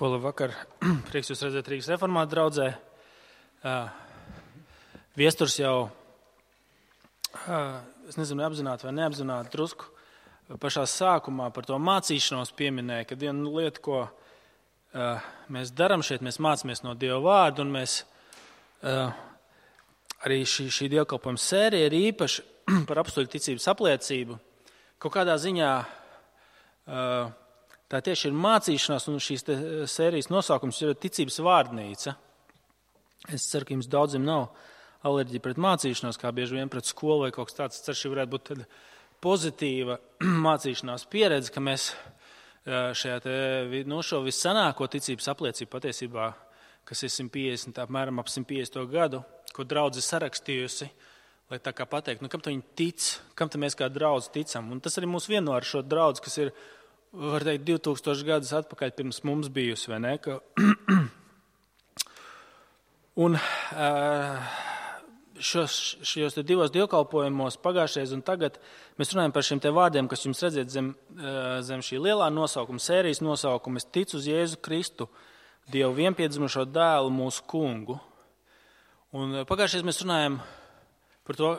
Ko labvakar, prieks jūs redzēt Rīgas reformātu draudzē. Viesturs jau, es nezinu, apzināti vai neapzināti, drusku pašā sākumā par to mācīšanos pieminēja, ka viena lieta, ko mēs darām šeit, mēs mācāmies no Dieva vārdu, un mēs arī šī dievkalpojuma sērija ir īpaši par apstuļu ticības apliecību. Kaut kādā ziņā tā tieši ir mācīšanās, un šīs sērijas nosaukums ir ticības vārdnīca. Es ceru, ka jums daudziem nav alerģija pret mācīšanos, kā bieži vien pret skolu vai kaut kas tāds. Es ceru, šī varētu būt tāda pozitīva mācīšanās pieredze, ka mēs šajā šo vissanāko ticības apliecību patiesībā, kas ir 150, apmēram ap 150. gadu, ko draudze sarakstījusi, lai tā kā pateikt, kam viņi tic, kam mēs kā draudze ticam. Un tas arī mūs vieno ar šo draudzi, kas ir, var teikt, 2000 gadus atpakaļ pirms mums bijusi, vai ne? Un šos divos dievkalpojumos pagājušajā un tagad mēs runājam par šiem te vārdiem, kas jums redziet zem šī lielā nosaukuma, sērijas nosaukuma. Es ticu uz Jēzu Kristu, Dievu vienpiedzimušo dēlu, mūsu kungu. Un pagājušajā mēs runājam par to,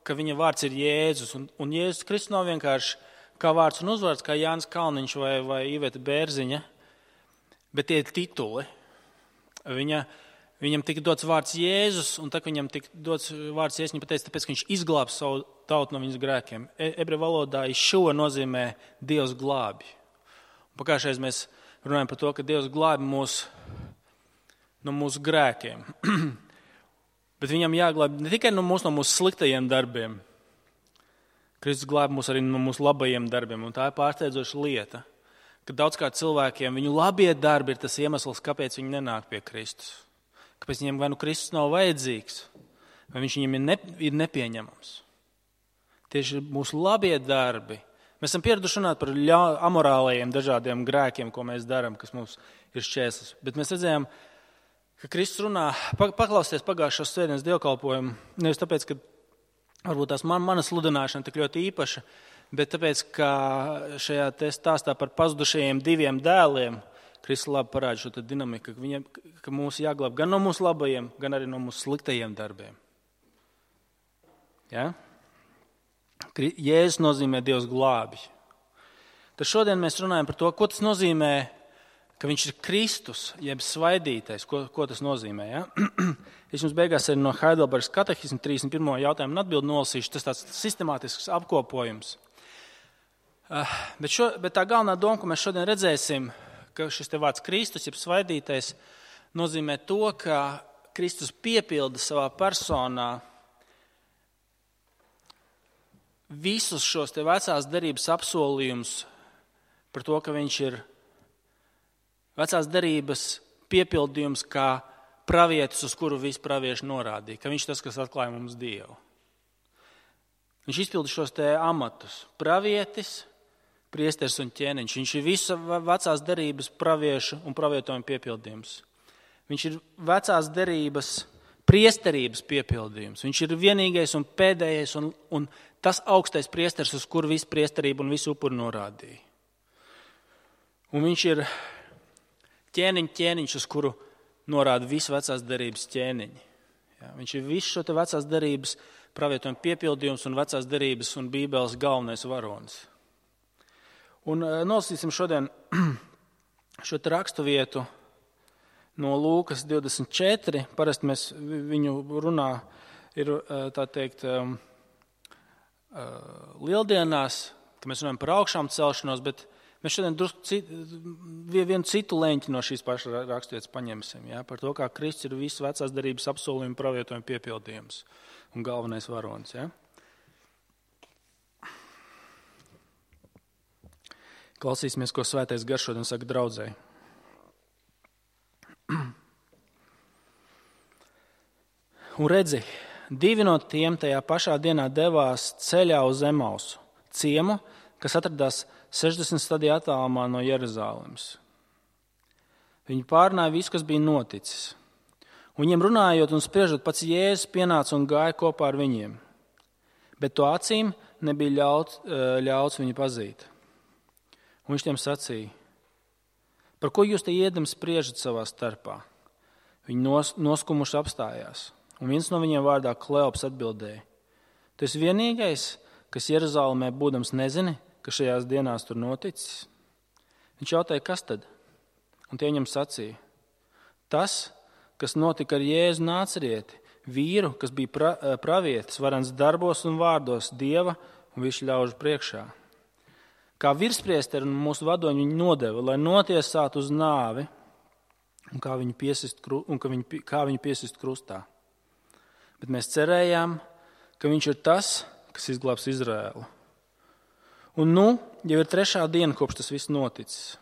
ka viņa vārds ir Jēzus. Un Jēzus Kristus nav vienkārši kā vārds un uzvārds, kā Jānis Kalniņš vai Iveta Bērziņa, bet tie ir tituli. Viņam tika dots vārds Jēzus, un tā, viņam tika dots vārds Jēzus, viņa pateica, tāpēc, ka viņš izglābs savu tautu no viņas grēkiem. Ebreju valodā šo nozīmē Dievs glābi. Pagājušajā mēs runājam par to, ka Dievs glābi mūs no mūsu grēkiem. Bet viņam jāglābi ne tikai no mūsu sliktajiem darbiem. Kristus glābi mūs arī no mūsu labajiem darbiem, un tā ir pārsteidzoša lieta, ka daudzkārt cilvēkiem viņu labie darbi ir tas iemesls, kāpēc viņi nenāk pie Kristus. Kāpēc viņiem vai nu Kristus nav vajadzīgs, vai viņš viņiem ir nepieņemams. Tieši mūsu labie darbi. Mēs esam pieraduši runāt par amorālajiem dažādiem grēkiem, ko mēs darām, kas mums ir šķērslis. Bet mēs redzējām, ka Kristus runā, paklausties pagājušās svētdienas dievkalpojumu, nevis tāpēc, ka varbūt tās mana sludināšana tik ļoti īpaša, bet tāpēc, ka šajā stāstā par pazudušajiem diviem dēliem Kristus labi parāda šo dinamiku, ka mūs jāglāb gan no mūsu labajiem, gan arī no mūsu sliktajiem darbiem. Ja? Jēzus nozīmē Dievs glābi. Tad šodien mēs runājam par to, ko tas nozīmē, ka viņš ir Kristus, jeb svaidītais. Ko tas nozīmē? Ja? Es jums beigās arī no Heidelbergas katehisma 31. jautājumu un atbildi nolasīšu. Tas tāds sistemātisks apkopojums. Bet tā galvenā doma, ko mēs šodien redzēsim, ka šis te vārds Kristus, jeb svaidītais, nozīmē to, ka Kristus piepilda savā personā visus šos te vecās derības apsolījumus par to, ka viņš ir vecās derības piepildījums kā pravietis, uz kuru visi pravieši norādīja, ka viņš tas, kas atklāja mums Dievu. Viņš izpilda šos te amatus. Pravietis, priesteris un ķēniņš. Viņš ir visu vecās derības praviešu un pravietojumu piepildījums. Viņš ir vecās derības priesterības piepildījums. Viņš ir vienīgais un pēdējais un tas augstais priesteris, uz kuru visu priesterību un visu upuru norādīja. Un viņš ir ķēniņš, uz kuru norāda visu vecās derības ķēniņi. Ja, viņš ir visu šo te vecās derības pravietojumu piepildījums un vecās derības un Bībeles galvenais varonis. Un nolasīsim šodien šo te rakstu vietu no Lūkas 24. Parasti mēs viņu runā ir, tā teikt, lieldienās, ka mēs runājam par augšām celšanos, bet mēs šodien vienu citu leņķi no šīs pašas raksturvietas paņemsim, ja, par to, kā Kristus ir visu vecās derības apsolījumu pravietojumu piepildījums un galvenais varonis. Ja. Klausīsimies, ko Svētais Gars šodien saka draudzei. Un redzi, divi no tiem tajā pašā dienā devās ceļā uz Emausu, ciemu, kas atradās 60 stadiju attālumā no Jeruzalemes. Viņi pārunāja visu, kas bija noticis. Un viņiem runājot un spriežot, pats Jēzus pienāca un gāja kopā ar viņiem. Bet to acīm nebija ļauts viņu pazīt. Un viņš tiem sacīja: Par ko jūs te iedam spriežat savā starpā? Viņi noskumuši apstājās, un viens no viņiem vārdā Kleops atbildēja: Tu esi vienīgais, kas Jeruzalemē būdams nezini, ka šajās dienās tur noticis? Viņš jautāja, kas tad? Un tie viņam sacīja: Tas, kas notika ar Jēzu Nācerieti, vīru, kas bija pravietis, varens darbos un vārdos Dieva un visu ļaužu priekšā. Kā virspriesteri un mūsu vadoņi viņu nodeva, lai notiesātu uz nāvi, un kā viņu piesist krustā. Bet mēs cerējām, ka viņš ir tas, kas izglābs Izraēlu. Un jau ir 3. diena, kopš tas viss noticis.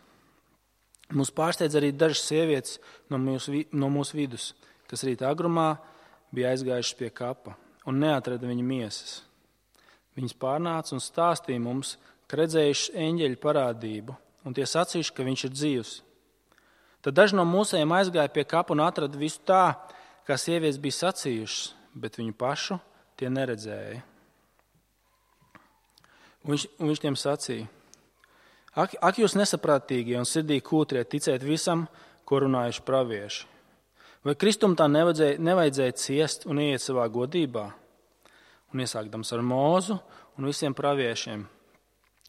Mūs pārsteidz arī dažas sievietes no mūsu vidus, kas rīta agrumā bija aizgājušas pie kapa un neatrada viņa miesas. Viņas pārnāca un stāstīja mums, ka redzējuši eņģeļu parādību, un tie sacījuši, ka viņš ir dzīvs. Tad daži no mūsējiem aizgāja pie kapa un atrada visu tā, kā sievietes bija sacījušas, bet viņu pašu tie neredzēja. Un viņš tiem sacīja: Ak jūs nesaprātīgie un sirdī kūtrie ticēt visam, ko runājuši pravieši? Vai Kristum tā nevajadzēja ciest un ieiet savā godībā? Un iesākdams ar Mūzu un visiem praviešiem,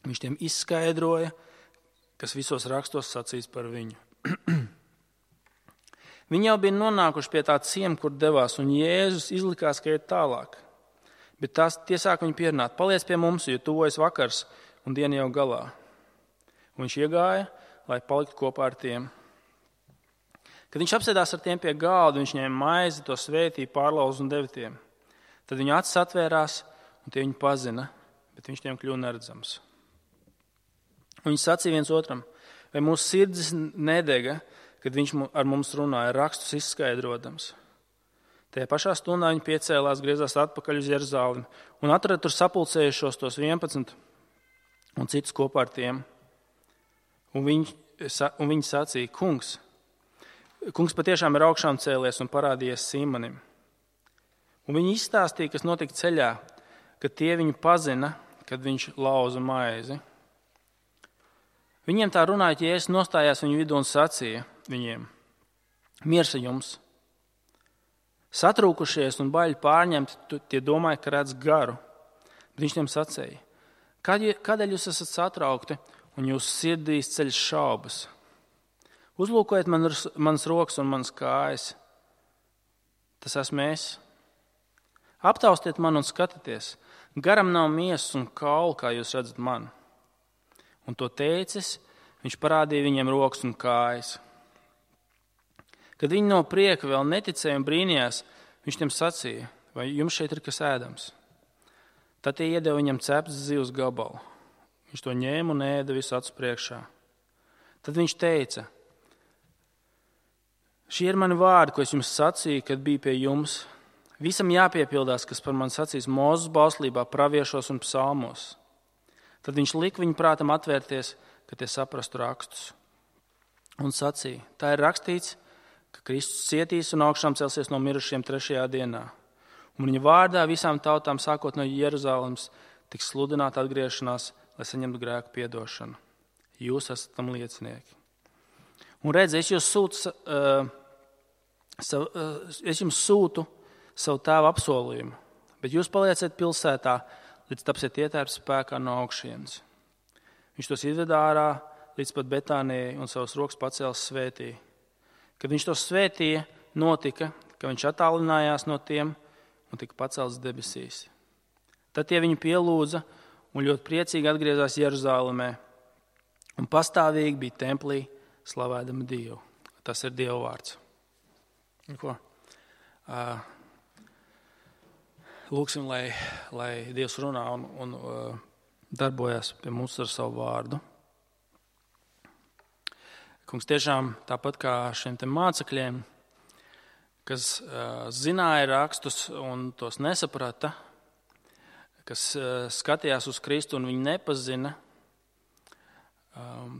viņš tiem izskaidroja, kas visos rakstos sacīts par viņu. Viņi jau bija nonākuši pie tā ciema, kur devās, un Jēzus izlikās, ka iet tālāk. Bet tie sāk viņu pierunāt: Paliec pie mums, jo tuvojas vakars un diena jau galā. Un viņš iegāja, lai paliktu kopā ar tiem. Kad viņš apsēdās ar tiem pie galda, viņš ņēma maizi, to svētīja, pārlauza un deva tiem. Tad viņa acis atvērās, un tie viņu pazina, bet viņš tiem kļuva neredzams. Un viņi sacīja viens otram: Vai mūsu sirdis nedega, kad viņš ar mums runāja, rakstus izskaidrodams? Tajā pašā stundā viņi piecēlās, griezās atpakaļ uz Jeruzalemi un atrada tur sapulcējušos tos 11 un citus kopā ar tiem. Un viņi sacīja: Kungs patiešām ir augšām cēlies un parādījies Sīmanim. Un viņi izstāstīja, kas notika ceļā, kad tie viņu pazina, kad viņš lauza maizi. Viņiem tā runājot, Jēzus nostājās viņu vidū un sacīja viņiem: Miers ar jums! Satrūkušies un baļi pārņemti, tie domāja, ka redz garu. Bet viņš tiem sacīja: Kādēļ jūs esat satraukti un jūsu sirdīs ceļas šaubas? Uzlūkojiet manas rokas un manas kājas. Tas esmu es. Aptaustiet mani un skatieties. Garam nav miesas un kaulu, kā jūs redzat man. Un to teicis, viņš parādīja viņiem rokas un kājas. Kad viņi no prieka vēl neticēja un brīnījās, viņš tiem sacīja: Vai jums šeit ir kas ēdams? Tad tie iedeva viņam ceptas zivs gabalu. Viņš to ņēma un ēda visu acu priekšā. Tad viņš teica: Šie ir mani vārdi, ko es jums sacīju, kad biju pie jums. Visam jāpiepildās, kas par mani sacīs Mūzes bauslībā, praviešos un psalmos. Tad viņš lika viņu prātam atvērties, ka tie saprastu rakstus. Un sacīja: Tā ir rakstīts, ka Kristus cietīs un augšām celsies no mirušiem 3. dienā. Un viņa vārdā visām tautām, sākot no Jeruzalemes, tiks sludināta atgriešanās, lai saņemtu grēku piedošanu. Jūs esat tam liecinieki. Un redz, es jums sūtu savu tēva apsolījumu, bet jūs palieciet pilsētā, līdz tapsiet ietērps spēkā no augšienes. Viņš tos izveda ārā līdz pat Betānijai un savas rokas pacēlis svētīja. Kad viņš tos svētīja, notika, ka viņš attālinājās no tiem un tika pacelts debesīs. Tad tie viņu pielūdza un ļoti priecīgi atgriezās Jeruzalemē un pastāvīgi bija templī slavēdami Dievu. Tas ir Dieva vārds. Ko? Lūksim, lai Dievs runā un darbojas pie mums ar savu vārdu. Kungs, tiešām tāpat kā šiem te mācekļiem, kas zināja rakstus un tos nesaprata, kas skatījās uz Kristu un viņu nepazina,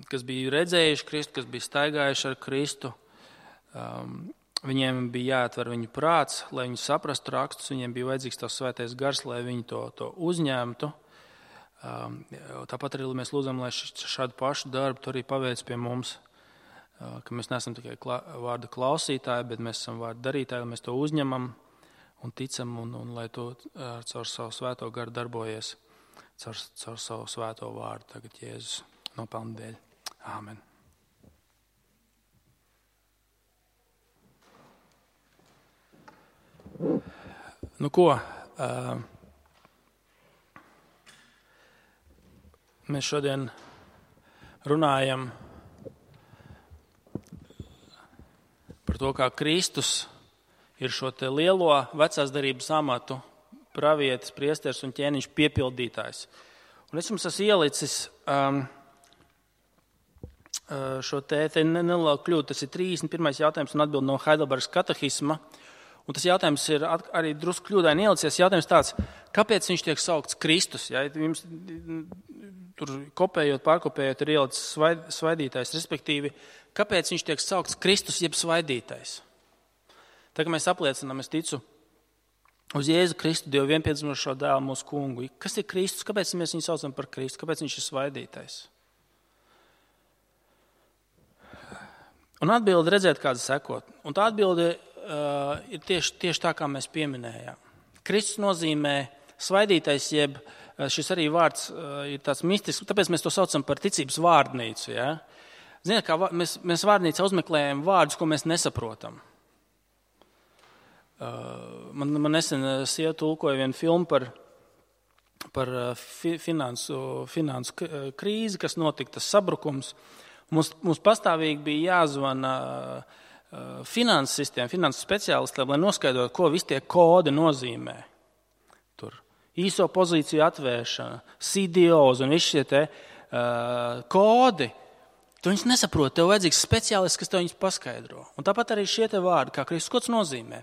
kas bija redzējuši Kristu, kas bija staigājuši ar Kristu, viņiem bija jāatver viņu prāts, lai viņi saprastu rakstus, viņiem bija vajadzīgs tavs svētais gars, lai viņi to uzņemtu. Tāpat arī mēs lūdzam, lai šādu pašu darbu tu arī paveic pie mums. ka mēs neesam tikai vārda klausītāji, bet mēs esam vārda darītāji, mēs to uzņemam un ticam, un lai to caur savu svēto garu darbojies, caur savu svēto vārdu tagad Jēzus nopelnu dēļ. Āmen. Nu ko, mēs šodien runājam par to, kā Kristus ir šo te lielo vecās darības amatu pravietis, priesteris un ķēniņš piepildītājs. Un es jums esmu ielicis šo te nelielu kļūdu. Tas ir 31. jautājums un atbild no Heidelbergas katehisma. Un tas jautājums ir arī drusku kļūdaini ielicies. Jautājums tāds, kāpēc viņš tiek saukts Kristus? Ja, jums tur kopējot, pārkopējot ir ielicis svaidītājs, respektīvi, kāpēc viņš tiek saukts Kristus jeb svaidītājs? Tā kā mēs apliecinām, es ticu uz Jēzu Kristu, Dievu vienpiedzimušo dēlu mūsu kungu. Kas ir Kristus? Kāpēc mēs viņu saucam par Kristu? Kāpēc viņš ir svaidītājs? Un atbildi redzēt, kāda sekot. Un tā atbildi ir tieši tā, kā mēs pieminējām. Kristus nozīmē svaidītais, jeb šis arī vārds ir tāds mistisks, tāpēc mēs to saucam par ticības vārdnīcu. Ja? Ziniet, kā mēs vārdnīcā uzmeklējam vārdus, ko mēs nesaprotam. Man nesen sieva tulkoja vienu filmu par finansu krīzi, kas notika, tas sabrukums. Mums pastāvīgi bija jāzvana finanses sistēma, finanses speciālistiem, lai noskaidrotu, ko visi tie kodi nozīmē. Tur īso pozīciju atvēršana, CDOs un visi šie te kodi. Tu viņus nesaproti, tev vajadzīgs speciālists, kas tev viņus paskaidro. Un tāpat arī šie te vārdi, kā Kristus, ko tas nozīmē.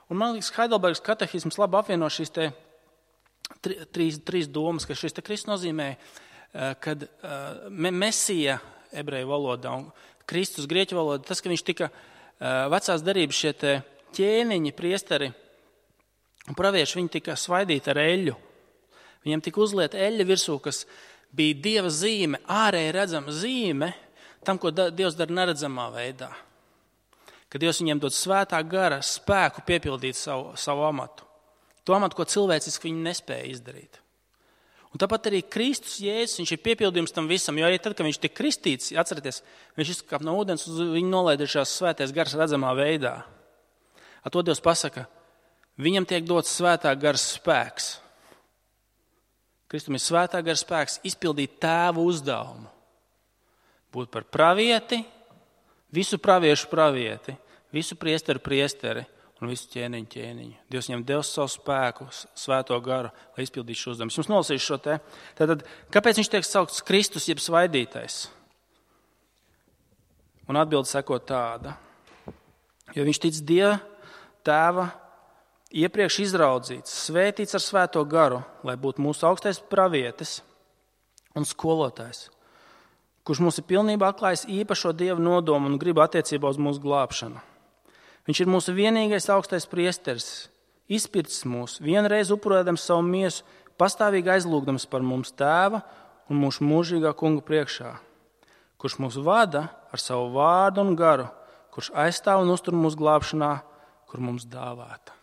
Un man liekas, Heidelbergas katehisms labi apvieno šīs te trīs domas, ka šis te Kristus nozīmē, kad Mesija ebreju valodā un Kristus grieķu valodā, tas, ka viņš tika vecās darības šie te ķēniņi, priesteri un pravieši, viņi tika svaidīti ar eļļu. Viņiem tika uzlieta eļļa virsū, kas bija Dieva zīme, ārēji redzama zīme tam, ko Dievs dara neredzamā veidā. Kad Dievs viņiem dod svētā gara spēku piepildīt savu amatu. To amatu, ko cilvēciski viņi nespēja izdarīt. Un tāpat arī Kristus Jēzus, viņš ir piepildījums tam visam, jo arī tad, kad viņš tika kristīts, atcerieties, viņš izkāp no ūdens, un viņu nolaidušās svētais gars redzamā veidā. Ar to Dievs pasaka, viņam tiek dots svētā gara spēks. Kristum ir svētā gara spēks izpildīt tēva uzdevumu. Būt par pravieti, visu praviešu pravieti, visu priesteru priesteri un visu ķēniņu ķēniņu. Dievs viņam devis savu spēku, svēto garu, lai izpildītu šo uzdevumu. Jums nolasīšu šo te. Tātad, kāpēc viņš tiek saukts Kristus jeb svaidītais? Un atbilde sekot tāda. Jo viņš tic Dieva tēva iepriekš izraudzīts, svētīts ar svēto garu, lai būtu mūsu augstais pravietis un skolotājs, kurš mums ir pilnībā atklājis īpašo Dieva nodomu un gribu attiecībā uz mūsu glābšanu. Viņš ir mūsu vienīgais augstais priesteris, izpircis mūs, vienreiz upurēdams savu miesu, pastāvīgi aizlūgdams par mums tēva un mūsu mūžīgā kunga priekšā, kurš mūs vada ar savu vārdu un garu, kurš aizstāv un uztur mūsu glābšanā, kur mums dāvāta.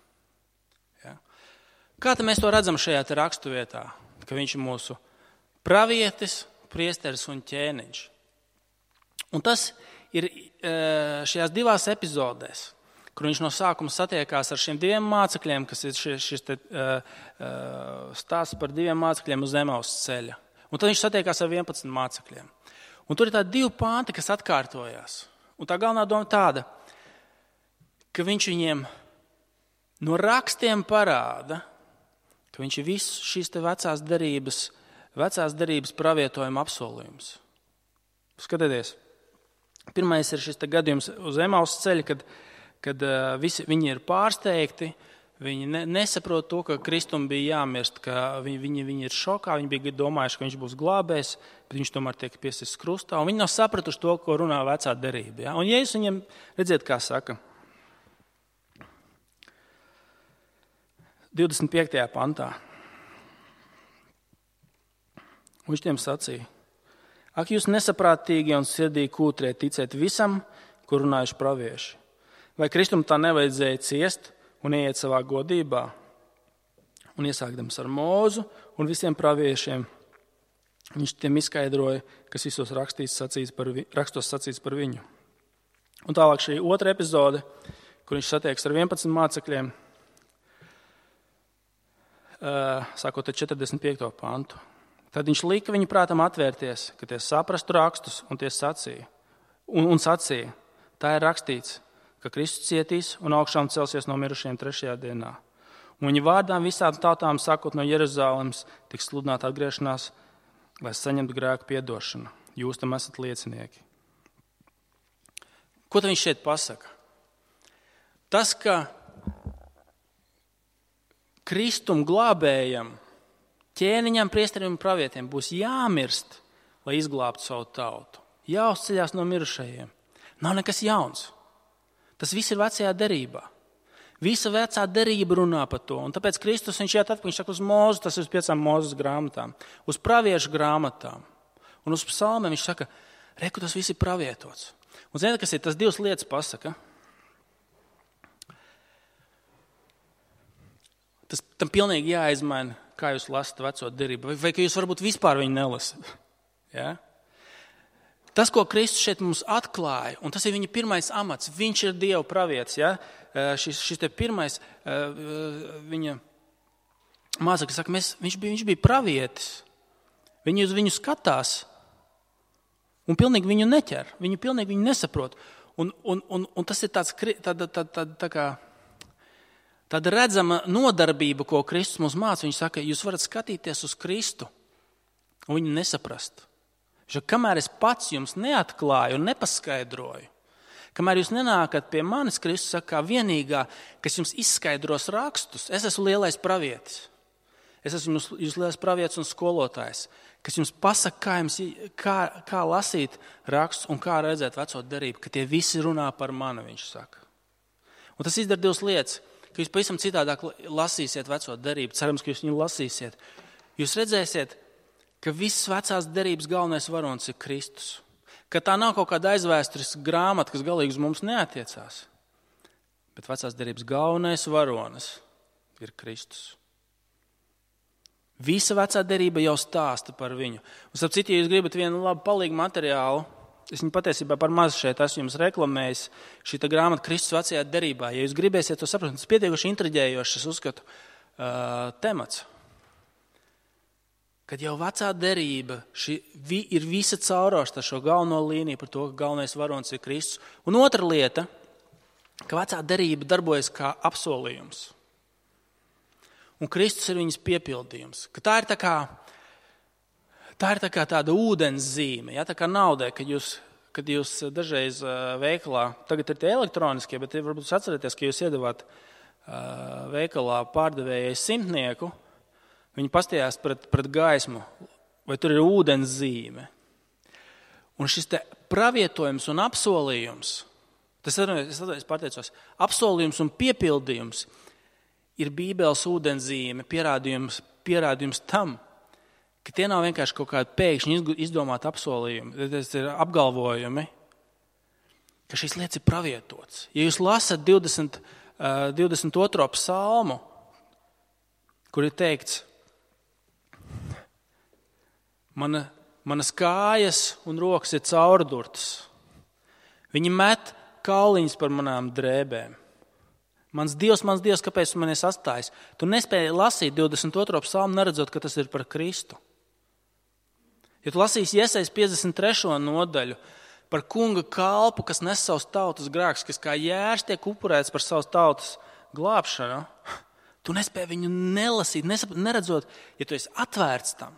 Ja? Kā tad mēs to redzam šajā te raksturvietā, ka viņš ir mūsu pravietis, priesteris un ķēniņš? Un tas ir šajās divās epizodēs, kur viņš no sākuma satiekās ar šiem diviem mācekļiem, kas ir šis stāsts par diviem mācekļiem uz Emaus ceļa. Un tad viņš satiekās ar 11 mācekļiem. Un tur ir tādi divi pānti, kas atkārtojās. Un tā galvenā doma tāda, ka viņš viņiem no rakstiem parāda, ka viņš ir viss šīs te vecās darības pravietojuma apsolījums. Skatieties, pirmais ir šis te gadījums uz Emaus ceļa, kad viņi ir pārsteigti, viņi nesaprot to, ka Kristum bija jāmirst, ka viņi ir šokā, viņi bija domājuši, ka viņš būs glābējs, bet viņš tomēr tiek piesists krustā, un viņi nav sapratuši to, ko runā vecā derība. Ja? Un Jēzus viņiem, redziet, kā saka, 25. pantā. Viņš tiem sacīja, Ak jūs nesaprātīgi un sirdīgi kūtrie ticēt visam, kur runājuši pravieši, vai Kristum tā nevajadzēja ciest un ieiet savā godībā? Un iesākdams ar Mūzu un visiem praviešiem, viņš tiem izskaidroja, kas visos rakstos sacīts par viņu. Un tālāk šī otra epizode, kur viņš satieks ar 11 mācekļiem, sākot ar 45. pantu. Tad viņš lika viņu prātam atvērties, ka tie saprastu rakstus, un tie sacīja. Un sacīja, tā ir rakstīts, ka Kristus cietīs un augšām celsies no mirušajiem 3. dienā. Un viņa vārdām visām tautām, sākot no Jeruzalemes, tiks sludināta atgriešanās, lai saņemtu grēku piedošanu. Jūs tam esat liecinieki. Ko tad viņš šeit pasaka? Tas, ka Kristum glābējam, ķēniņam, priesterim un pravietiem būs jāmirst, lai izglābtu savu tautu. Jāuzceļās no mirušajiem. Nav nekas jauns. Tas viss ir vecajā derībā. Visa vecā derība runā par to. Un tāpēc Kristus viņš iet atpakaļ, viņš saka uz Mūzu, tas ir uz 5 Mūzes grāmatām, uz praviešu grāmatām. Un uz psalmiem viņš saka, reku, tas viss ir pravietots. Un ziniet, kas ir? Tas 2 lietas pasaka. Tam pilnīgi jāizmaina, kā jūs lasat veco derību. Vai ka jūs varbūt vispār viņu nelasat. Ja? Tas, ko Kristus šeit mums atklāja, un tas ir viņa pirmais amats, viņš ir Dieva pravietis. Ja? Šis te pirmais viņa mācekļi saka, viņš bija pravietis. Viņi uz viņu skatās un pilnīgi viņu neķer. Viņi pilnīgi viņu nesaprot. Un tas ir tāda redzama nodarbība, ko Kristus mums māca. Viņš saka, jūs varat skatīties uz Kristu un viņu nesaprast. Kamēr es pats jums neatklāju un nepaskaidroju, kamēr jūs nenākat pie manis, Kristus saka, kā vienīgā, kas jums izskaidros rakstus, es esmu lielais pravietis. Es esmu jūs lielais pravietis un skolotājs, kas jums pasaka, kā lasīt rakstus un kā redzēt veco derību, ka tie visi runā par mani, viņš saka. Un tas izdara 2 lietas, ka jūs pavisam citādāk lasīsiet veco derību, cerams, ka jūs viņu lasīsiet. Jūs redzēsiet, ka visas vecās derības galvenais varonis ir Kristus. Ka tā nav kaut kāda aizvēstures grāmata, kas galīgi uz mums neatiecās. Bet vecās derības galvenais varonis ir Kristus. Visa vecā derība jau stāsta par viņu. Un starp citu, ja jūs gribat vienu labu palīgu materiālu, es viņu patiesībā par maz šeit esmu jums reklamējis, šī grāmata Kristus vecajā derībā. Ja jūs gribēsiet to saprast, tas pietiekuši intriģējošs, es uzskatu, temats. Kad jau vecā derība ir visa caurāšta šo galveno līniju par to, ka galvenais varonis ir Kristus. Un otra lieta, ka vecā derība darbojas kā apsolījums. Un Kristus ir viņas piepildījums. Ka tā ir tāda ūdens zīme, ja, tā kā naudai, kad jūs dažreiz veikalā, tagad ir tie elektroniskie, bet varbūt jūs atcerieties, ka jūs iedavāt veikalā pārdevējai 100, viņi pastījās pret gaismu, vai tur ir ūdens zīme. Un šis te pravietojums un apsolījums, es pateicos, apsolījums un piepildījums ir Bībeles ūdens zīme, pierādījums tam, ka tie nav vienkārši kaut kādi pēkšņi izdomāti apsolījumi, tas ir apgalvojumi, ka šīs lietas ir pravietotas. Ja jūs lasat 22. psalmu, kur ir teikts, manas kājas un rokas ir caurdurtas. Viņi met kauliņus par manām drēbēm. Mans Dievs, kāpēc tu mani esi atstājis? Tu nespēji lasīt 22. psalmu, neredzot, ka tas ir par Kristu. Ja tu lasīsi Jesajas 53. nodaļu par kunga kalpu, kas nes savus tautas grēkus, kas kā jērs tiek upurēts par savas tautas glābšanu, tu nespēji viņu nelasīt, neredzot, ja tu esi atvērts tam.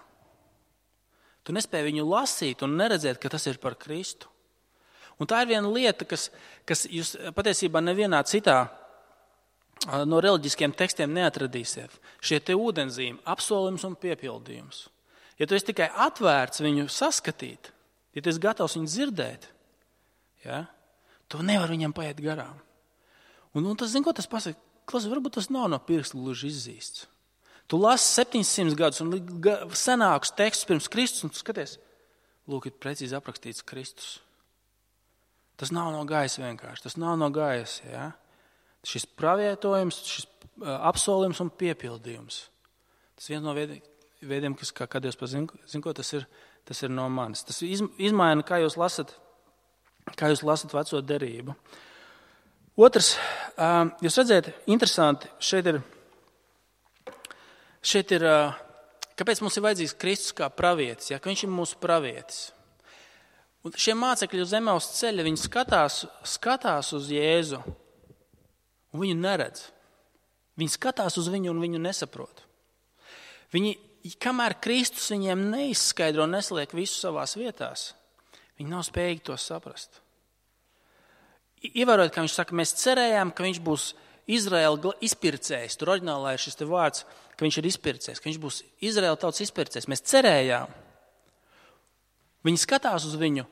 Tu nespēji viņu lasīt un neredzēt, ka tas ir par Kristu. Un tā ir viena lieta, kas jūs patiesībā nevienā citā no reliģiskiem tekstiem neatradīsiet. Šie te ūdenzīmi, apsolījums un piepildījums. Ja tu esi tikai atvērts viņu saskatīt, ja tu esi gatavs viņu dzirdēt, ja, tu nevari viņam paiet garām. Un tas, zin, ko tas pasaka? Klausies, varbūt tas nav no pirksta gluži izzīsts. Tu lasi 700 gadus un senākus tekstus pirms Kristus, un tu skaties, lūk, ir precīzi aprakstīts Kristus. Tas nav no gaisa vienkārši, tas nav no gaisa, ja? Šis pravietojums, šis apsolījums un piepildījums. Tas viens no veidiem, kas, kā Dievs zin, ko tas ir no manis. Tas izmaina, kā jūs lasat veco derību. Otrs, jūs redzēt, interesanti, šeit ir, kāpēc mums ir vajadzīgs Kristus kā pravietis, ja? Ka viņš ir mūsu pravietis. Un šie mācekļi uz Emaus ceļa, viņi skatās uz Jēzu un viņu neredz. Viņi skatās uz viņu un viņu nesaprot. Viņi, kamēr Kristus viņiem neizskaidro, nesliek visu savās vietās, viņi nav spējīgi to saprast. Ievērojot, kā viņš saka, mēs cerējām, ka viņš būs Izraēla izpircējs. Tur oriģinālā ir šis te vārds, ka viņš ir izpircējs, ka viņš būs Izraēla tautas izpircējs. Mēs cerējām. Viņi skatās uz viņu,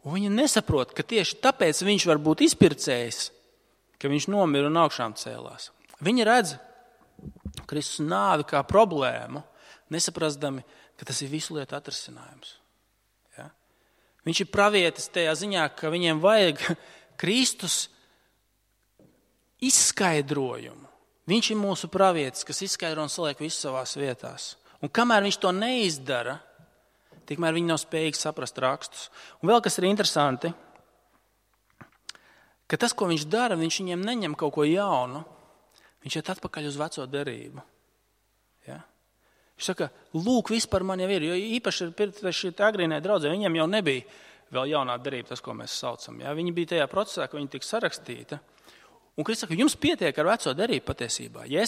un viņi nesaprot, ka tieši tāpēc viņš var būt izpircējs, ka viņš nomira un augšām cēlās. Viņi redz Kristus nāvi kā problēmu, nesaprastami, ka tas ir visu lietu atrisinājums. Ja? Viņš ir pravietis tajā ziņā, ka viņiem vajag Kristus izskaidrojumu. Viņš ir mūsu pravietis, kas izskaidro un saliek visu savās vietās. Un kamēr viņš to neizdara, tikmēr viņi nav spējīgi saprast rakstus. Un vēl kas ir interesanti, ka tas, ko viņš dara, viņš viņiem neņem kaut ko jaunu, viņš iet atpakaļ uz veco derību. Ja? Viņš saka, lūk, viss par mani jau ir, jo īpaši šī agrīnē draudzē, viņiem jau nebija vēl jaunā derība, tas, ko mēs saucam. Ja? Viņi bija tajā procesā, ka viņi tika sarakstīta. Un Kristus saka, jums pietiek ar veco derību patiesībā. Ja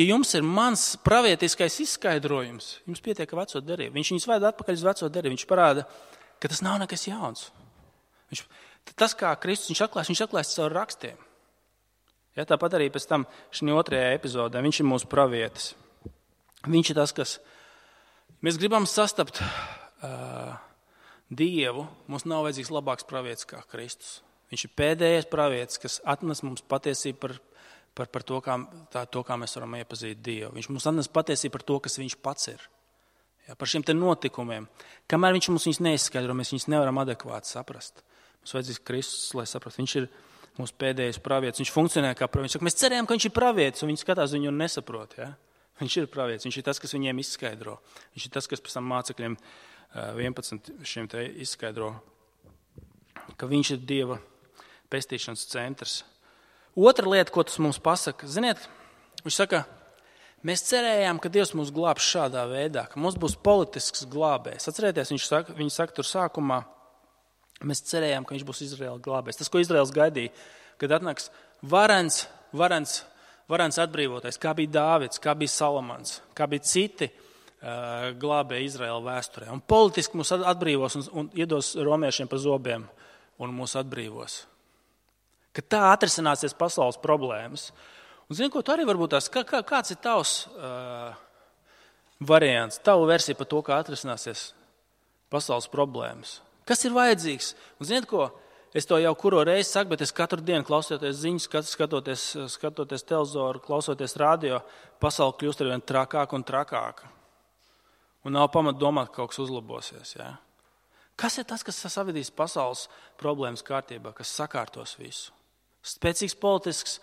jums ir mans pravietiskais izskaidrojums, jums pietiek ar veco derību. Viņš viņus ved atpakaļ uz veco derību. Viņš parāda, ka tas nav nekas jauns. Tas, kā Kristus viņš atklājas caur rakstiem. Ja, tāpat arī pēc tam šī otrajā epizodē viņš ir mūsu pravietis. Viņš ir tas, kas mēs gribam sastapt Dievu. Mums nav vajadzīgs labāks pravietis kā Kristus. Viņš ir pēdējais pravietis, kas atnes mums patiesību par to, kā mēs varam iepazīt Dievu. Viņš mums atnes patiesību par to, kas viņš pats ir. Ja, par šiem te notikumiem. Kamēr viņš mums viņus neizskaidro, mēs viņus nevaram adekvāti saprast. Mums vajadzīgs Kristus, lai saprastu. Viņš ir mūsu pēdējais pravietis. Viņš funkcionē kā pravietis. Mēs cerējām, ka viņš ir pravietis, un viņi skatās viņu un nesaprot. Ja? Viņš ir pravietis. Viņš ir tas, kas viņiem izskaidro. Viņš ir tas, kas pēc tam mācekļiem 11 šiem te izskaidro, ka viņš ir Dieva pestīšanas centrs. Otra lieta, ko tas mums pasaka, ziniet, viņš saka, mēs cerējām, ka Dievs mūs glābs šādā veidā, ka mums būs politisks glābējs. Atcerieties, viņi saka tur sākumā, mēs cerējām, ka viņš būs Izraēla glābējs. Tas, ko Izraēls gaidīja, kad atnāks varens atbrīvotais, kā bija Dāvids, kā bija Salamans, kā bija citi glābēji Izraēla vēsturē. Un politiski mūs atbrīvos un iedos romiešiem pa zobiem un mūs atbrīvos. Ka tā atrisināsies pasaules problēmas. Un zini, ko tu arī varbūt tās, kāds ir tavs variants, tavu versiju par to, kā atrisināsies pasaules problēmas? Kas ir vajadzīgs? Un ziniet, ko? Es to jau kuro reizi saku, bet es katru dienu klausoties ziņas, skatoties televizoru, klausoties radio, pasaule kļūst arvien trakāka un trakāka. Un nav pamata domāt, ka kaut kas uzlabosies. Ja? Kas ir tas, kas savedīs pasaules problēmas kārtībā, kas sakārtos visu? Spēcīgs politisks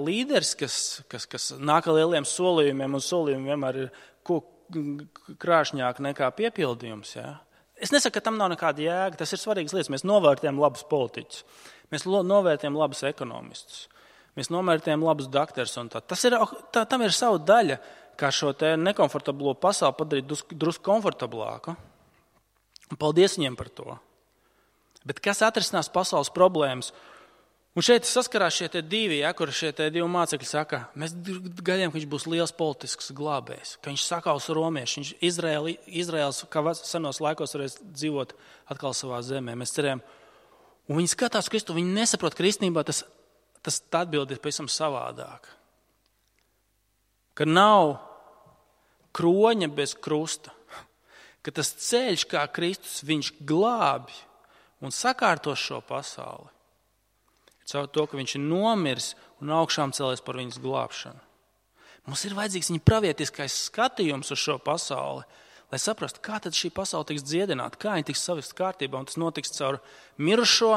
līderis, kas nāk ar lieliem solījumiem, un solījumi vienmēr ir krāšņāk nekā piepildījums. Ja? Es nesaku, ka tam nav nekāda jēga, tas ir svarīgas lietas. Mēs novērtējam labus politiķus, mēs novērtējam labus ekonomistus, mēs novērtējam labus dakterus. Tam ir sava daļa, kā šo te nekomfortablo pasauli padarīt drusku komfortablāku. Un paldies viņiem par to. Bet kas atrisinās pasaules problēmas? Un šeit saskarās šie te divi, kur šie te divi mācekļi saka, mēs gaidījām, ka viņš būs liels politisks glābējs, ka viņš sakaus romieši, Izraēls, kā senos laikos varēs dzīvot atkal savā zemē. Mēs cerējām, un viņi skatās Kristu, viņi nesaprot, ka īstenībā tas atbild ir pavisam savādāk. Ka nav kroņa bez krusta, ka tas ceļš, kā Kristus, viņš glābi un sakārto šo pasauli. Caur to, ka viņš ir nomiris un augšām cēlies par viņas glābšanu. Mums ir vajadzīgs viņa pravietiskais skatījums uz šo pasauli, lai saprastu, kā tad šī pasaule tiks dziedināta, kā viņa tiks savest kārtībā, un tas notiks caur mirušo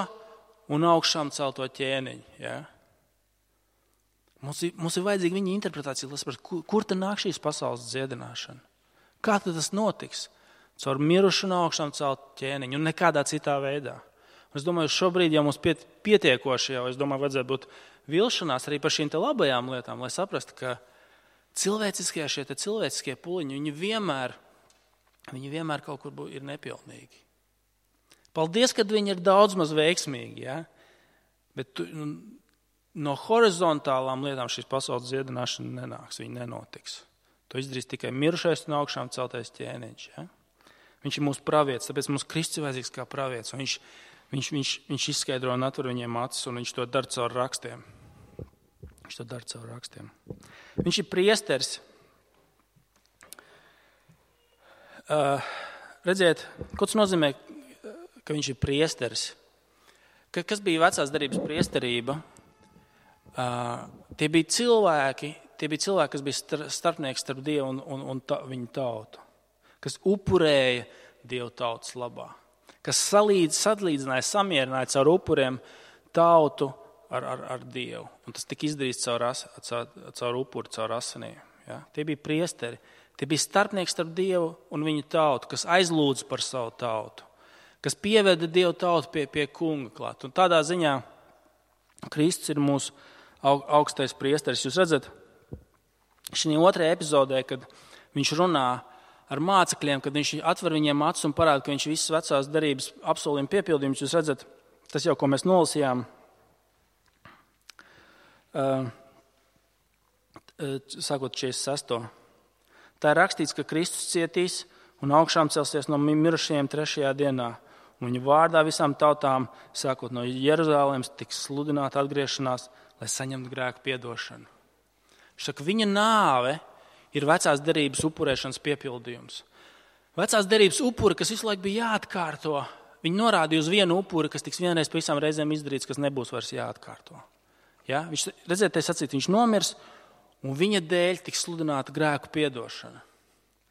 un augšām celto ķēniņu. Ja? Mums ir vajadzīga viņa interpretācija, lai saprastu, kur tad nāk šīs pasaules dziedināšana. Kā tad tas notiks? Caur mirušu un augšām celtu ķēniņu un nekādā citā veidā. Un es domāju, šobrīd jau mums pietiekoši jau, es domāju, vajadzētu būt vilšanās arī par šīm te labajām lietām, lai saprastu, ka šie cilvēciskie puliņi, viņi vienmēr kaut kur ir nepilnīgi. Paldies, ka viņi ir daudz maz veiksmīgi, ja? Bet no horizontālām lietām šīs pasaules dziedināšana nenāks, viņa nenotiks. To izdarīs tikai mirušais un augšām celtais ķēniņš. Ja? Viņš ir mūsu pravietis, tāpēc mums Kristus ir vajadzīgs kā pravietis. Viņš izskaidro un atver viņiem acis, un viņš to dara caur rakstiem. Viņš ir priesteris. Redziet, ko tas nozīmē, ka viņš ir priesteris? Kas bija vecās derības priesterība? Tie bija cilvēki, kas bija starpnieki starp Dievu un viņu tautu, kas upurēja Dievu tautas labā, kas sadlīdzināja, samierināja caur upuriem tautu ar Dievu. Un tas tika izdarīts caur upuri, caur asinīm. Ja? Tie bija priesteri, tie bija starpnieki starp Dievu un viņu tautu, kas aizlūdza par savu tautu, kas pieveda Dievu tautu pie kunga klāt. Un tādā ziņā Kristus ir mūsu augstais priesteris. Jūs redzat, šī otrajā epizodē, kad viņš runā ar mācekļiem, kad viņš atver viņiem acis un parāda, ka viņš visas vecās derības apsolījuma piepildījums, jūs redzat, tas jau, ko mēs nolasījām, sākot 46. Tā ir rakstīts, ka Kristus cietīs un augšām celsies no mirušajiem 3. dienā. Un viņa vārdā visām tautām, sākot no Jeruzalemes, tiks sludināta atgriešanās, lai saņemtu grēku piedošanu. Viņš saka, viņa nāve ir vecās derības upurēšanas piepildījums. Vecās derības upuri, kas visu laiku bija jāatkārto, viņi norādīja uz vienu upuri, kas tiks vienreiz pa visām reizēm izdarīts, kas nebūs vairs jāatkārto. Ja? Viņš, redziet, viņš nomirs, un viņa dēļ tiks sludināta grēku piedošana.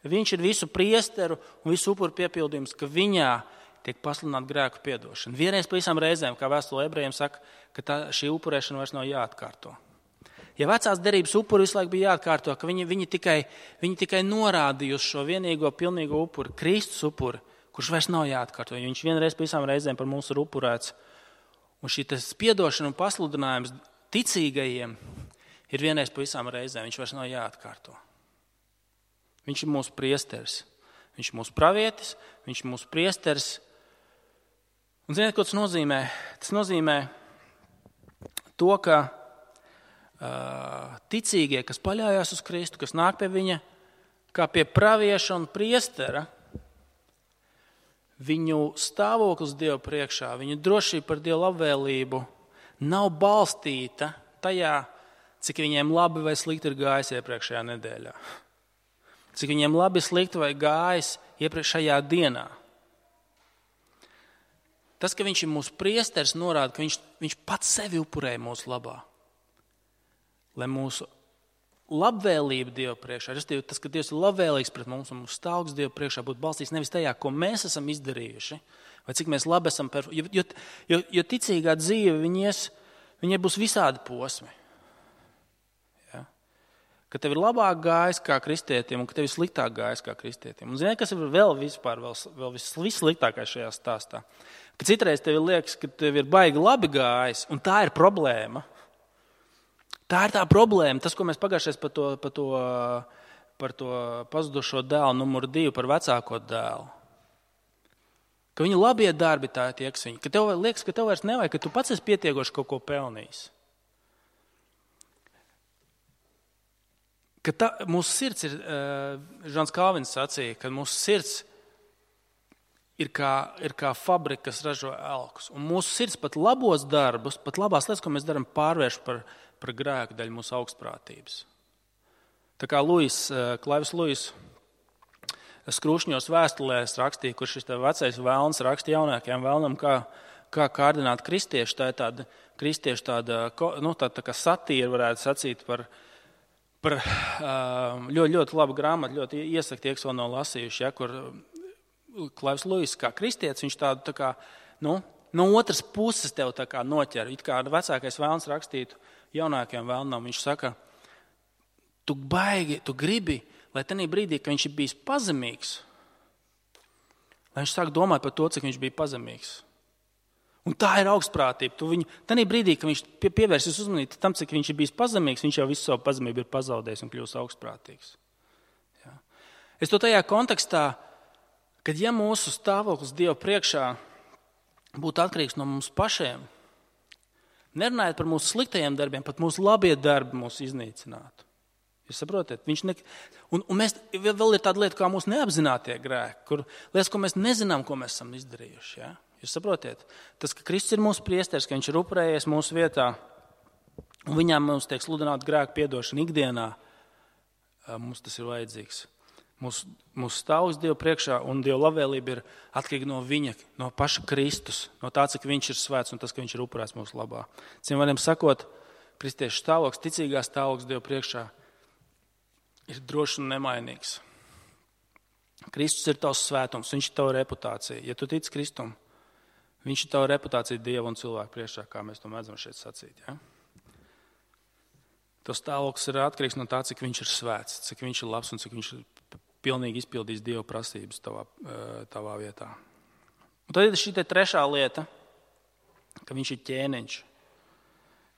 Viņš ir visu priesteru un visu upuru piepildījums, ka viņā tiek pasludināta grēku piedošana. Vienreiz pa visām reizēm, kā vēstule ebrejiem saka, ka šī upurēšana vairs nav jāatkārto. Ja vecās derības upuri visu laiku bija jāatkārto, ka viņi tikai norādīja uz šo vienīgo pilnīgo upuri, Kristus upuri, kurš vairs nav jāatkārto, jo viņš vienreiz pa visām reizēm par mums ir upurēts. Un šī piedošana un pasludinājums ticīgajiem ir vienreiz pa visām reizēm, viņš vairs nav jāatkārto. Viņš ir mūsu priesteris, viņš ir mūsu pravietis, viņš ir mūsu priesteris. Un ziniet, ko tas nozīmē? Tas nozīmē to, ka ticīgie, kas paļājās uz Kristu, kas nāk pie viņa, kā pie pravieša un priestera, viņu stāvoklis Dieva priekšā, viņu drošība par Dieva labvēlību nav balstīta tajā, cik viņiem labi vai slikti ir gājis iepriekšējā nedēļā. Cik viņiem labi, slikti vai gājis iepriekšējā dienā. Tas, ka viņš ir mūsu priesteris, norāda, ka viņš pats sevi upurēja mūsu labā. Lai mūsu labvēlība Dieva priekšā, tas, ka Dievs ir labvēlīgs pret mums un mūsu stāvoklis Dieva priekšā būtu balstīts nevis tajā, ko mēs esam izdarījuši, vai cik mēs labi esam, jo ticīgā dzīve viņai būs visādi posmi. Ja? Ka tev ir labāk gājis kā kristietim un ka tev ir sliktāk gājis kā kristietim. Un ziniet, kas ir vēl vissliktākais šajā stāstā? Ka citreiz tev liekas, ka tev ir baigi labi gājis, un tā ir problēma. Tā ir tā problēma, tas, ko mēs pagājušais par to pazudušo dēlu numuru 2, par vecāko dēlu. Ka viņu labie darbi tā ir tie, kas viņi. Ka tev liekas, ka tev vairs nevajag, ka tu pats esi pietiekoši kaut ko pelnījis. Ka mūsu sirds ir, Žans Kalvins sacīja, ka mūsu sirds ir kā fabrika, kas ražo elkus. Un mūsu sirds pat labos darbus, pat labās lietas, ko mēs darām, pārvērš par grēku daļu mūsu augstprātības. Tā kā Klaivis Luis Skrūšņos vēstulēs rakstīja, kur šis vecais vēlns raksta jaunākajam vēlnam, kā kārdināt kristiešu. Tā ir tāda kristiešu tā kā satīra, varētu sacīt, par ļoti labu grāmatu, ļoti iesaku tie, kas vēl nav lasījuši, kur Klaivs Luis kā kristietis, viņš tādu tā kā, no otras puses tev tā kā noķer. It kā vecākais vēlns rakstītu jaunākajam vēlnam, viņš saka, tu gribi, lai tenī brīdī, ka viņš ir bijis pazemīgs, lai viņš sāk domāt par to, cik viņš bija pazemīgs. Un tā ir augstprātība. Tanī brīdī, kad viņš pievērsies uzmanību tam, cik viņš ir bijis pazemīgs, viņš jau visu savu pazemību ir pazaudējis un kļūst augstprātīgs. Ja. Es to tajā kontekstā, kad ja mūsu stāvoklis Dieva priekšā būtu atkarīgs no mums pašiem, nerunājot par mūsu sliktajiem darbiem, pat mūsu labie darbi mūs iznīcinātu. Jūs saprotat? Un mēs vēl ir tāda lieta, kā mūsu neapzinātie grēki, kur lietas, ko mēs nezinām, ko mēs esam izdarījuši. Ja? Jūs saprotiet? Tas, ka Kristus ir mūsu priesteris, ka viņš ir upurējies mūsu vietā, un viņām mums tiek sludināta grēku piedošana ikdienā, mums tas ir vajadzīgs. Mūsu stāvoklis Dieva priekšā un Dieva labvēlība ir atkarīga no viņa, no paša Kristus, no tā, cik viņš ir svēts un tas, ka viņš ir upurēts mūsu labā. Citiem vārdiem sakot, kristiešu stāvoklis, ticīgā stāvoklis Dieva priekšā ir drošs un nemainīgs. Kristus ir tavs svētums, viņš ir tava reputācija. Ja tu tici Kristum, viņš ir tava reputācija Dieva un cilvēku priekšā, kā mēs to mēdzam šeit sacīt. Ja? Tas stāvoklis ir atkarīgs no tā, cik viņš ir svēts, cik viņš ir labs un cik viņš ir pilnīgi izpildījis Dieva prasības tavā vietā. Un tad ir šī trešā lieta, ka viņš ir ķēniņš,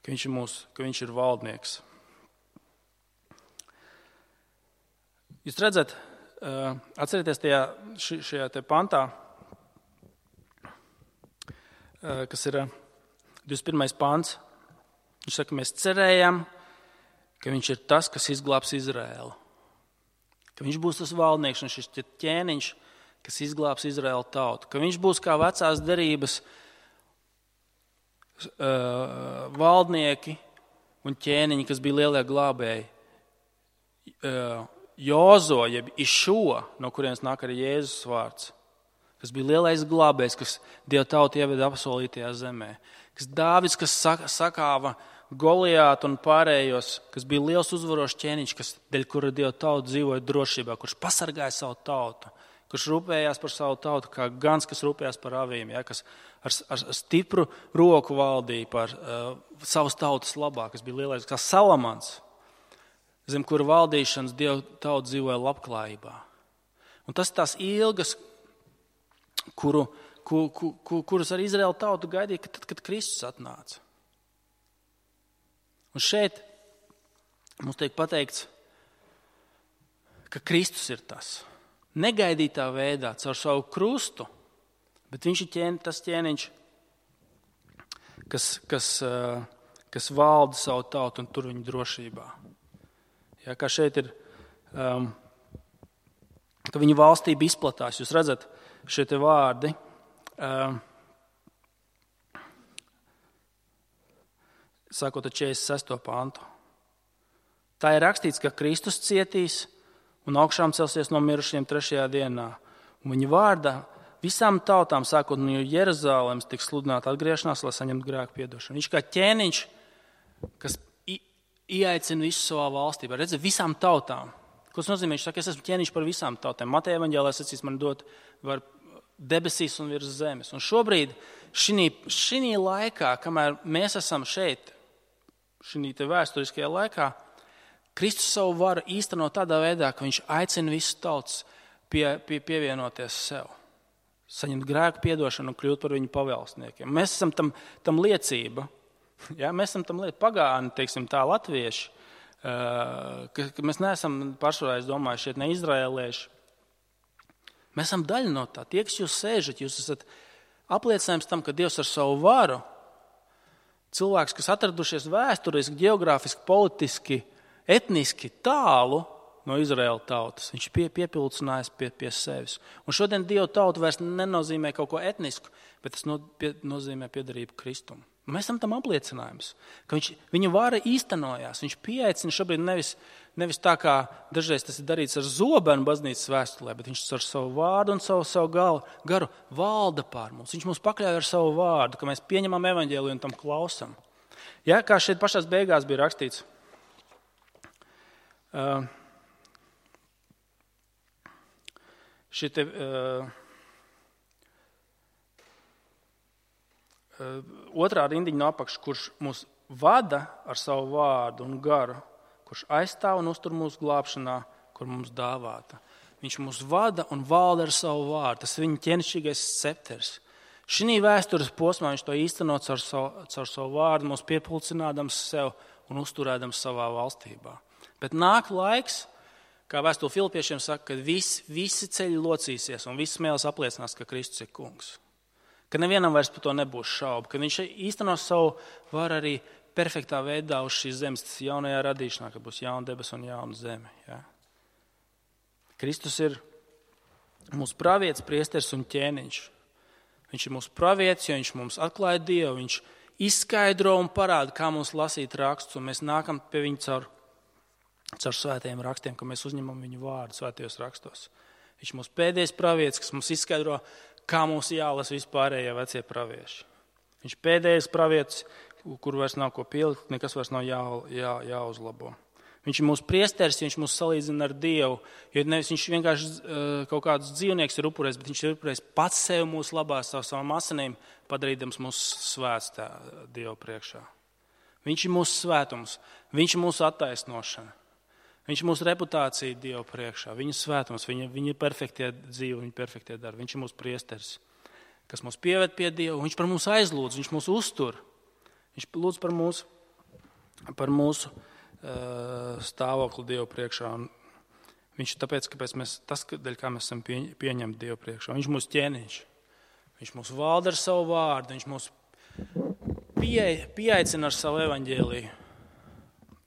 ka viņš ir valdnieks. Jūs redzat, atcerieties šajā te pantā, kas ir 21. pants. Viņš saka, mēs cerējam, ka viņš ir tas, kas izglābs Izraēlu. Ka viņš būs tas valdnieks un šis ķēniņš, kas izglābs Izraēlu tautu. Ka viņš būs kā vecās derības valdnieki un ķēniņi, kas bija lielie glābēji. Jozo, jeb Išo, no kurienes nāk arī Jēzus vārds, kas bija lielais glābējs, kas Dieva tautu ieveda apsolītajā zemē. Kas Dāvids, kas sakāva Goliātu un pārējos, kas bija liels uzvarošs ķēniņš, dēļ kura Dieva tauta dzīvoja drošībā, kurš pasargāja savu tautu, kurš rūpējās par savu tautu, kā gans, kas rūpējās par avīm, ja, kas ar stipru roku valdīja par savas tautas labā, kas bija lielais, kā Salamans, zem kura valdīšanas Dieva tauta dzīvoja labklājībā. Un tas tās ilgas, kuras arī Izraēla tauta gaidīja, tad, kad Kristus atnāca. Un šeit mums tiek pateikts, ka Kristus ir tas. Negaidītā veidā, caur savu krustu, bet viņš ir tas ķēniņš, kas valda savu tautu un tur viņu drošībā. Ja, kā šeit ir, ka viņa valstība izplatās. Jūs redzat šie te vārdi. Sākot ar 46. pantu. Tā ir rakstīts, ka Kristus cietīs un augšām celsies no mirušiem 3. dienā. Un viņa vārdā visām tautām, sākot no Jeruzalemes, tiks sludināta atgriešanās, lai saņemtu grēku piedošanu. Viņš kā ķēniņš, kas ieaicina visu savā valstībā. Redzi, visām tautām. Ko tas nozīmē? Viņš saka, es esmu ķēniņš par visām tautām. Mateja evaņģēlē sacīs, man dot var debesīs un virs zemes. Un šobrīd, šī laikā, kamēr mēs esam šeit, šī te vēsturiskajā laikā, Kristus savu varu īsteno tādā veidā, ka viņš aicina visus tautas pievienoties sev. Saņemt grēku piedošanu un kļūt par viņu pavēlsniekiem. Mēs esam tam liecība. Ja, mēs esam tam pagāni, teiksim tā, latvieši, ka mēs neesam pašreiz domājuši šeit ne izraēlieši. Mēs esam daļa no tā. Tie, kas jūs sēžat, jūs esat apliecinājums tam, ka Dievs ar savu varu, cilvēks, kas atradušies vēsturiski, geogrāfiski, politiski, etniski tālu no Izraēla tautas, viņš ir piepildījis pie sevis. Un šodien Dieva tauta vairs nenozīmē kaut ko etnisku, bet tas nozīmē piederību Kristum. Mēs esam tam apliecinājums, ka viņa vara īstenojās. Viņš pieaicina šobrīd nevis tā, kā dažreiz tas ir darīts ar zobenu baznīcas vēstulē, bet viņš ar savu vārdu un savu garu valda pār mums. Viņš mums pakļauj ar savu vārdu, ka mēs pieņemam evaņģēliju un tam klausam. Ja, kā šeit pašās beigās bija rakstīts, Šitie otrā rindiņa no apakšas, kurš mūs vada ar savu vārdu un garu, kurš aizstāv un uztur mūsu glābšanā, kur mums dāvāta. Viņš mūs vada un valda ar savu vārdu. Tas ir viņa ķēnišķīgais scepters. Šī vēstures posmā viņš to īsteno caur savu vārdu, mūs piepulcinādams sev un uzturēdams savā valstībā. Bet nāk laiks, kā vēstule Filipiešiem saka, kad visi ceļi locīsies un visi smēles apliecinās, ka Kristus ir kungs. Ka nevienam vairs par to nebūs šaubu, ka viņš īstenos savu varu arī perfektā veidā uz šīs zemes, tas jaunajā radīšanā, kad būs jauna debesa un jauna zeme. Ja? Kristus ir mūsu pravietis, priesteris un ķēniņš. Viņš ir mūsu pravietis, jo viņš mums atklāja Dievu, viņš izskaidro un parāda, kā mums lasīt rakstus, un mēs nākam pie viņa caur svētajiem rakstiem, ka mēs uzņemam viņu vārdu svētajos rakstos. Viņš ir mūsu pēdējais pravietis, kas mums izskaidro, kā mums jālasa vispārējie vecie pravieši. Viņš ir pēdējais pravietis, kur vairs nav ko pielikt, nekas vairs nav jāuzlabo. Viņš ir mūsu priesteris, viņš mūs salīdzina ar Dievu, jo nevis viņš vienkārši kaut kādus dzīvniekus ir upurējis, bet viņš ir upurējis pats sevi mūsu labā savām asinīm, padarīdams mūsu svēts Dievu priekšā. Viņš ir mūsu svētums, viņš ir mūsu attaisnošana, viņš ir mūsu reputācija Dievu priekšā, viņa svētums, viņa perfektie dzīve, viņa perfektie darbi. Viņš ir mūsu priesteris, kas mūs pieved pie Dievu, viņš par mums aizlūdz, viņš mūs uztur, viņš lūdz par mūsu stāvokli Dievu priekšā. Un viņš tāpēc, dēļ kā mēs esam pieņemti Dievu priekšā. Viņš mūs ķēniņš. Viņš mūs valda ar savu vārdu. Viņš mūs pieaicina ar savu evaņģēliju.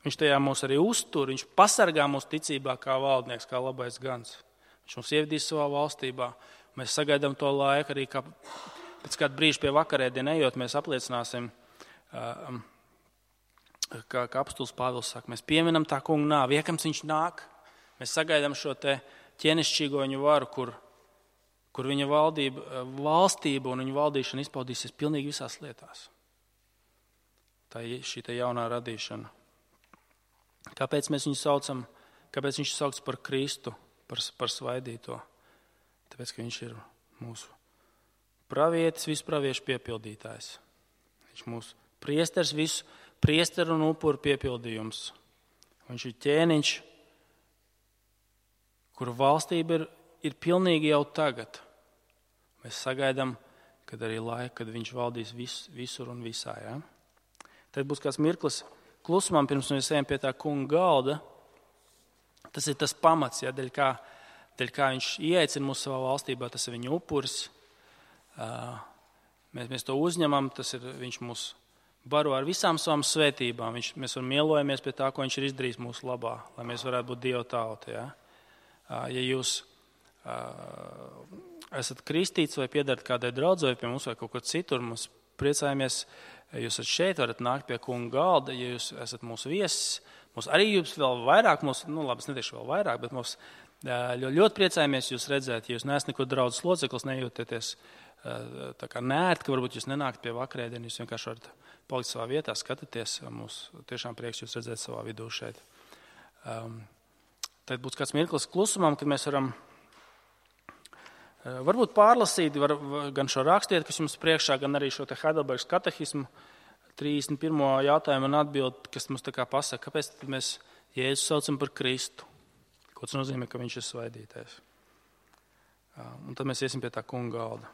Viņš tajā mūs arī uztur. Viņš pasargā mūsu ticībā kā valdnieks, kā labais gans. Viņš mūs ievedīs savā valstībā. Mēs sagaidām to laiku arī, kā pēc kāda brīža pie vakarēdiena ejot, mēs apliecināsim, kā apostols Pāvils saka, mēs pieminam tā kunga nāvi, iekams viņš nāk, mēs sagaidām šo te ķēnišķīgo viņu varu, kur viņa valstība un viņa valdīšana izpaudīsies pilnīgi visās lietās. Tā ir šī te jaunā radīšana. Kāpēc mēs viņu saucam, kāpēc viņš saukts par Kristu, par svaidīto? Tāpēc, ka viņš ir mūsu pravietis, visu praviešu piepildītājs. Viņš mūsu priesteris, visu priesteru un upuru piepildījums. Viņš ir ķēniņš, kura valstība ir pilnīgi jau tagad. Mēs sagaidām, kad arī laika, kad viņš valdīs visur un visā. Ja? Tad būs kāds mirklis klusumam, pirms mēs ejam pie tā kunga galda. Tas ir tas pamats, ja, dēļ kā viņš ieaicina mūsu savā valstībā, tas ir viņa upuris. Mēs to uzņemam, viņš mūs baro ar visām savām svētībām. Mēs mielojamies pie tā, ko viņš ir izdarījis mūsu labā, lai mēs varētu būt Dieva tauta. Ja, ja jūs esat kristīts vai piedarat kādai draudzei pie mums vai kaut kur citur, mēs priecājamies, jūs esat šeit, varat nākt pie kunga galda, ja jūs esat mūsu viesis. Mums arī jūs vēl vairāk, labi, es neteikšu vēl vairāk, bet mums ļoti priecājamies jūs redzēt, ja jūs neesat neko draudzes loceklis, nejūtieties tā kā nērti, ka varbūt jūs nenākt pie vakarēdienu, jūs vienkārši varat palikt savā vietā, skatāties, mums tiešām prieks jūs redzēt savā vidū šeit. Tad būs kāds mirklis klusumam, kad mēs varam varbūt pārlasīt gan šo rakstiet, kas jums priekšā, gan arī šo te Heidelbergas katehismu 31. jautājumu un atbildi, kas mums tā kā pasaka, kāpēc mēs Jēzu saucam par Kristu. Ko tas nozīmē, ka viņš ir svaidītājs. Un tad mēs iesim pie tā kunga galda.